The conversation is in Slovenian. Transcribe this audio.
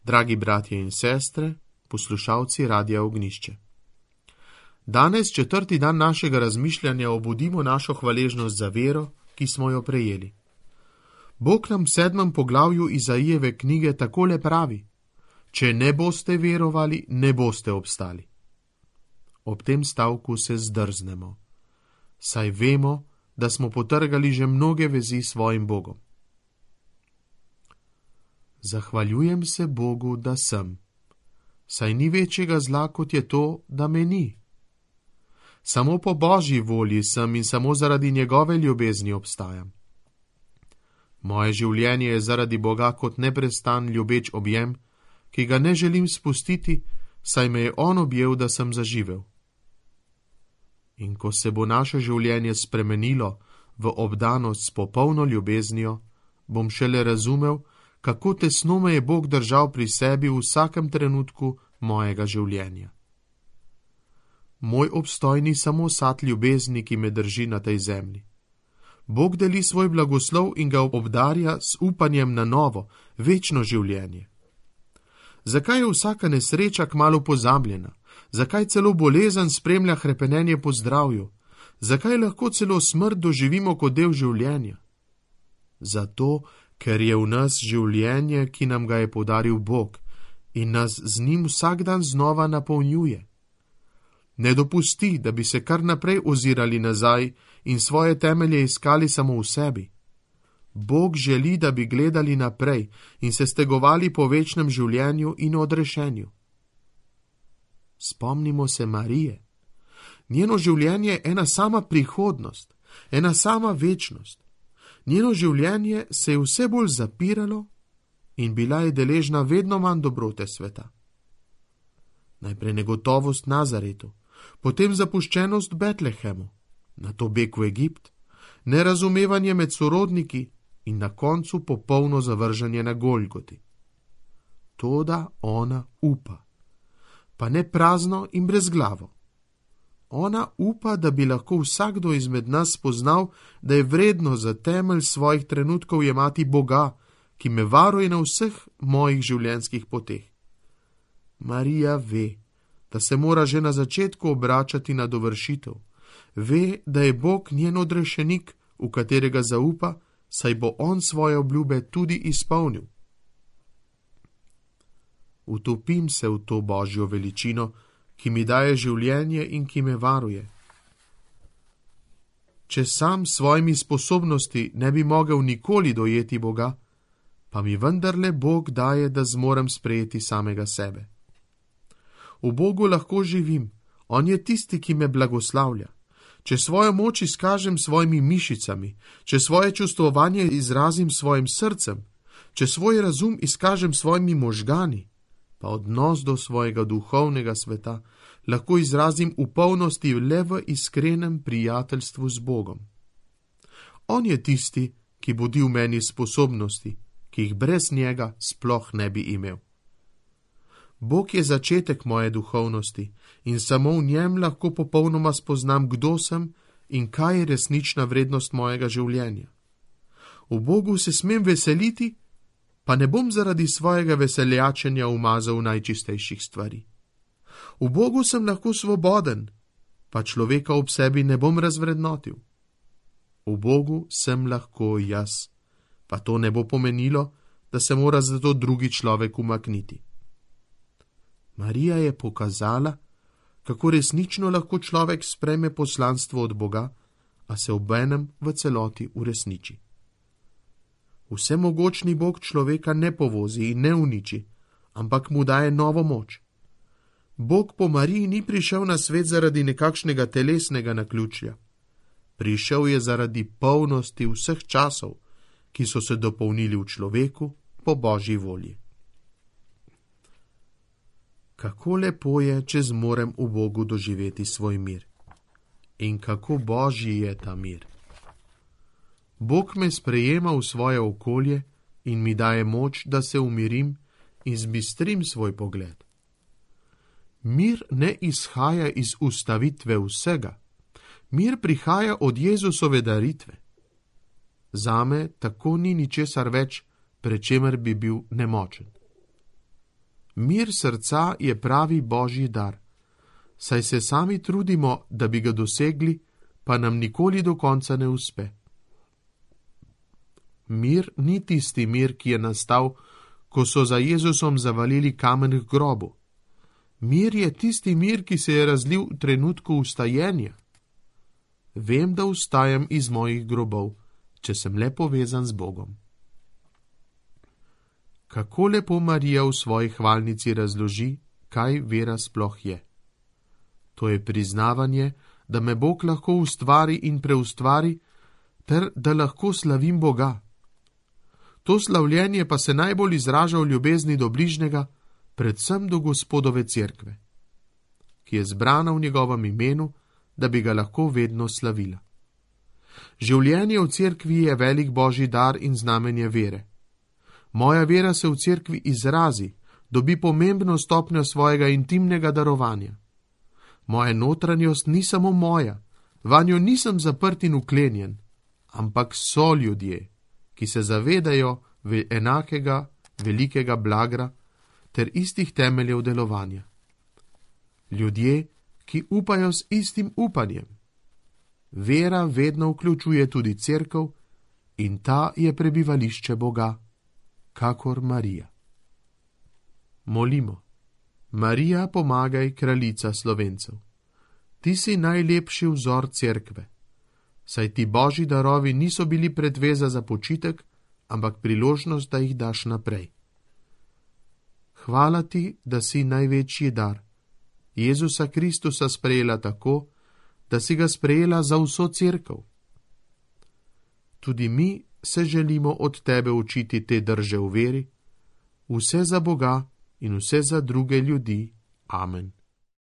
Dragi bratje in sestre, poslušalci Radia Ognjišče. Danes, 4. dan našega razmišljanja, obudimo našo hvaležnost za vero, ki smo jo prejeli. Bog nam v 7. poglavju Izaijeve knjige takole pravi: če ne boste verovali, ne boste obstali. Ob tem stavku se zdrznemo, saj vemo, da smo potrgali že mnoge vezi s svojim Bogom. Zahvaljujem se Bogu, da sem, saj ni večjega zla, kot je to, da me ni. Samo po Božji volji sem in samo zaradi njegove ljubezni obstajam. Moje življenje je zaradi Boga kot neprestan ljubeč objem, ki ga ne želim spustiti, saj me je on objel, da sem zaživel. In ko se bo naše življenje spremenilo v obdanost s popolno ljubeznijo, bom šele razumel, kako tesno me je Bog držal pri sebi v vsakem trenutku mojega življenja. Moj obstoj ni samo sad ljubezni, ki me drži na tej zemlji. Bog deli svoj blagoslov in ga obdarja s upanjem na novo, večno življenje. Zakaj je vsaka nesreča kmalu pozabljena? Zakaj celo bolezen spremlja hrepenenje po zdravju? Zakaj lahko celo smrt doživimo kot del življenja? Zato, ker je v nas življenje, ki nam ga je podaril Bog in nas z njim vsak dan znova napolnjuje. Ne dopusti, da bi se kar naprej ozirali nazaj in svoje temelje iskali samo v sebi. Bog želi, da bi gledali naprej in se stegovali po večnem življenju in odrešenju. Spomnimo se Marije. Njeno življenje je ena sama prihodnost, ena sama večnost. Njeno življenje se je vse bolj zapiralo in bila je deležna vedno manj dobrote sveta. Najprej negotovost Nazaretu, potem zapuščenost Betlehemu, nato beg v Egipt, nerazumevanje med sorodniki in na koncu popolno zavrženje na Golgoti. Toda ona upa, pa ne prazno in brezglavo. Ona upa, da bi lahko vsakdo izmed nas spoznal, da je vredno za temelj svojih trenutkov jemati Boga, ki me varuje na vseh mojih življenjskih poteh. Marija ve, da se mora že na začetku obračati na dovršitev. Ve, da je Bog njen odrešenik, v katerega zaupa, saj bo on svoje obljube tudi izpolnil. Utopim se v to Božjo veličino, ki mi daje življenje in ki me varuje. Če sam s svojimi sposobnosti ne bi mogel nikoli dojeti Boga, pa mi vendarle Bog daje, da zmorem sprejeti samega sebe. V Bogu lahko živim, on je tisti, ki me blagoslavlja. Če svojo moč izkažem svojimi mišicami, če svoje čustvovanje izrazim svojim srcem, če svoj razum izkažem svojimi možgani, pa odnos do svojega duhovnega sveta lahko izrazim v polnosti le v iskrenem prijateljstvu z Bogom. On je tisti, ki budi v meni sposobnosti, ki jih brez njega sploh ne bi imel. Bog je začetek moje duhovnosti in samo v njem lahko popolnoma spoznam, kdo sem in kaj je resnična vrednost mojega življenja. V Bogu se smem veseliti, pa ne bom zaradi svojega veseljačenja umazal najčistejših stvari. V Bogu sem lahko svoboden, pa človeka ob sebi ne bom razvrednotil. V Bogu sem lahko jaz, pa to ne bo pomenilo, da se mora zato drugi človek umakniti. Marija je pokazala, kako resnično lahko človek sprejme poslanstvo od Boga, a se obenem v celoti uresniči. Vsemogočni Bog človeka ne povozi in ne uniči, ampak mu daje novo moč. Bog po Mariji ni prišel na svet zaradi nekakšnega telesnega naključja. Prišel je zaradi polnosti vseh časov, ki so se dopolnili v človeku po Božji volji. Kako lepo je, če zmorem v Bogu doživeti svoj mir. In kako Božji je ta mir. Bog me sprejema v svoje okolje in mi daje moč, da se umirim in zbistrim svoj pogled. Mir ne izhaja iz ustavitve vsega. Mir prihaja od Jezusove daritve. Zame tako ni ničesar več, pred čemer bi bil nemočen. Mir srca je pravi božji dar, saj se sami trudimo, da bi ga dosegli, pa nam nikoli do konca ne uspe. Mir ni tisti mir, ki je nastal, ko so za Jezusom zavalili kamen k grobu. Mir je tisti mir, ki se je razlil v trenutku vstajenja. Vem, da vstajam iz mojih grobov, če sem le povezan z Bogom. Kako lepo Marija v svoji hvalnici razloži, kaj vera sploh je. To je priznavanje, da me Bog lahko ustvari in preustvari, ter da lahko slavim Boga. To slavljenje pa se najbolj izraža v ljubezni do bližnjega, predvsem do Gospodove cerkve, ki je zbrana v njegovem imenu, da bi ga lahko vedno slavila. Življenje v cerkvi je velik božji dar in znamenje vere. Moja vera se v cerkvi izrazi, dobi pomembno stopnjo svojega intimnega darovanja. Moja notranjost ni samo moja, vanjo nisem zaprt in uklenjen, ampak so ljudje, ki se zavedajo enakega velikega blagra ter istih temeljev delovanja. Ljudje, ki upajo s istim upanjem. Vera vedno vključuje tudi cerkev in ta je prebivališče Boga, kakor Marija. Molimo. Marija, pomagaj, kraljica Slovencev. Ti si najlepši vzor cerkve, saj ti božji darovi niso bili predveza za počitek, ampak priložnost, da jih daš naprej. Hvala ti, da si največji dar. Jezusa Kristusa sprejela tako, da si ga sprejela za vso cerkev. Tudi mi se želimo od tebe učiti te drže v veri, vse za Boga in vse za druge ljudi. Amen.